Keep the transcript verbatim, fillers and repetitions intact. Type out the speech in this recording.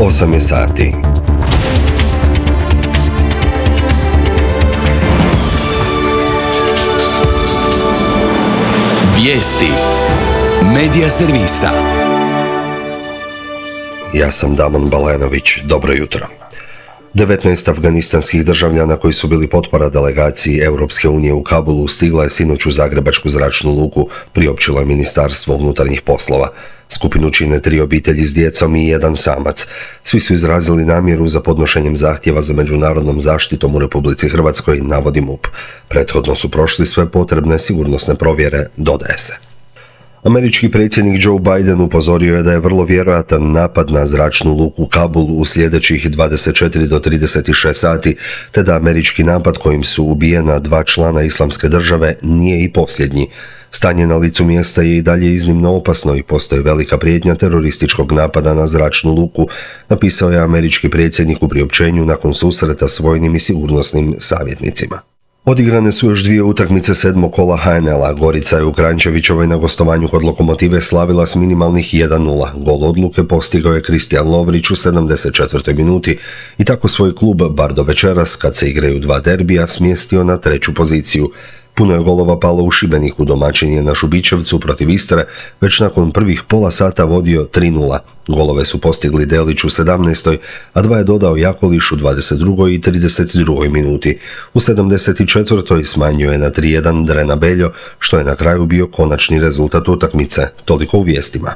osam je sati. Vijesti Medija servisa. Ja sam Damon Balenović, dobro jutro. devetnaest afganistanskih državljana koji su bili potpora delegaciji Europske unije u Kabulu stigla je sinoć u Zagrebačku zračnu luku, priopćilo je Ministarstvo unutarnjih poslova. Skupinu čine tri obitelji s djecom i jedan samac. Svi su izrazili namjeru za podnošenjem zahtjeva za međunarodnom zaštitom u Republici Hrvatskoj, navodi MUP. Prethodno su prošli sve potrebne sigurnosne provjere, dodaje se. Američki predsjednik Joe Biden upozorio je da je vrlo vjerojatan napad na zračnu luku Kabul u sljedećih dvadeset četiri do trideset šest sati, te da američki napad kojim su ubijena dva člana Islamske države nije i posljednji. Stanje na licu mjesta je i dalje iznimno opasno i postoji velika prijetnja terorističkog napada na zračnu luku, napisao je američki predsjednik u priopćenju nakon susreta s vojnim i sigurnosnim savjetnicima. Odigrane su još dvije utakmice sedmog kola H N L-a. Gorica je u Kranjčevićevoj na gostovanju kod Lokomotive slavila s minimalnih jedan nula. Gol odluke postigao je Kristijan Lovrić u sedamdeset četvrtoj minuti i tako svoj klub, bar do večeras, kad se igraju dva derbija, smjestio na treću poziciju. Puno je golova palo u Šibeniku, domaćin je na Šubićevcu protiv Istre već nakon prvih pola sata vodio tri nula. Golove su postigli Delić u sedamnaestoj, a dva je dodao Jakoliš u dvadeset drugoj i trideset drugoj minuti. U sedamdeset četvrtoj smanjio je na tri jedan Drena Beljo, što je na kraju bio konačni rezultat utakmice. Toliko u vijestima.